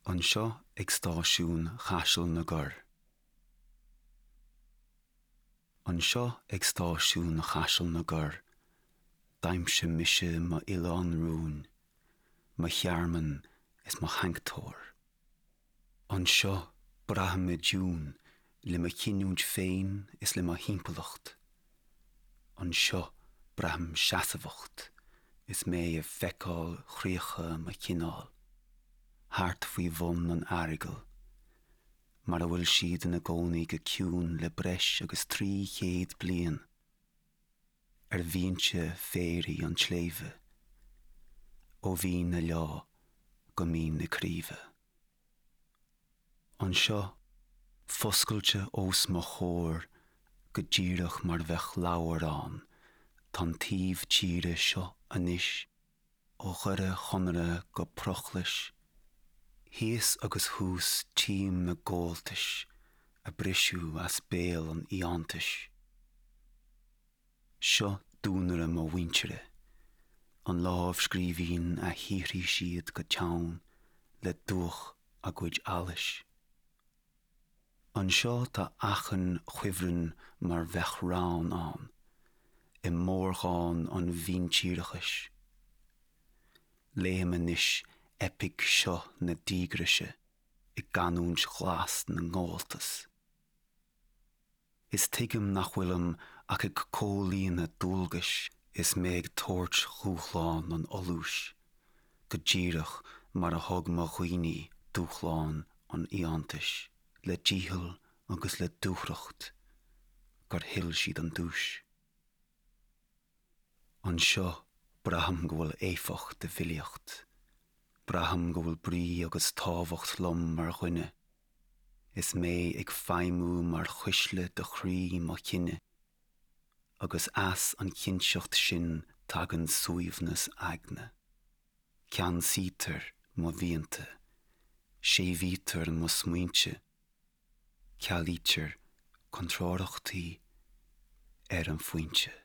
Anseo ag stáisiún Chaiseal na gCorr. Anseo ag stáisiún Chaiseal na gCorr, d'aimsigh mise m'oileán rúin, mo thearmann is mo shanctóir. Anseo braithim i dtiún le mo chinniúint féin is le mo thimpeallacht. Anseo braithim seasmhacht is mé ag feiceáil chríocha mo chineáil, thart faoi bhun an Earagail, mar a bhfuil siad ina gcónaí go ciúin le breis agus 300 bliain, ar bhinse féaraigh an tsléibhe, ó Mhín na Leá go Mín na Craoibhe. Anseo, foscailte os mo chomhair go díreach mar bheadh leabhar ann, tá an taobh tíre seo anois, ó Dhoire Chonaire go Prochlais. Thíos agus thuas tchím na gabháltais a briseadh as béal an fhiántais. Seo duanaire mo mhuintire, an lámhscríbhinn a shaothraigh siad go teann le dúch a gcuid allais. Anseo tá achan chuibhreann mar bheadh rann ann, i mórdhán an mhíntíreachais. Léim anois eipic seo na díograise i gcanúint ghlas na ngabháltas. Is tuigim nach bhfuilim ach ag comhlíonadh dualgais is mé ag tabhairt dhúshlán an fholúis, go díreach mar a thug mo dhaoine dúshlán an fhiántais le dícheall agus le dúthracht gur thuill siad an duais. Anseo braithim go bhfuil éifeacht i bhfilíocht, braithim go bhfuil brí agus tábhacht liom mar dhuine. Is mé ag feidhmiú mar chuisle do chroí mo chine, agus as an chinnteacht sin tagann suaimhneas aigne. Ceansaítear mo mhianta, séimhítear mo smaointe, cealaítear contrárthachtaí ar an phointe.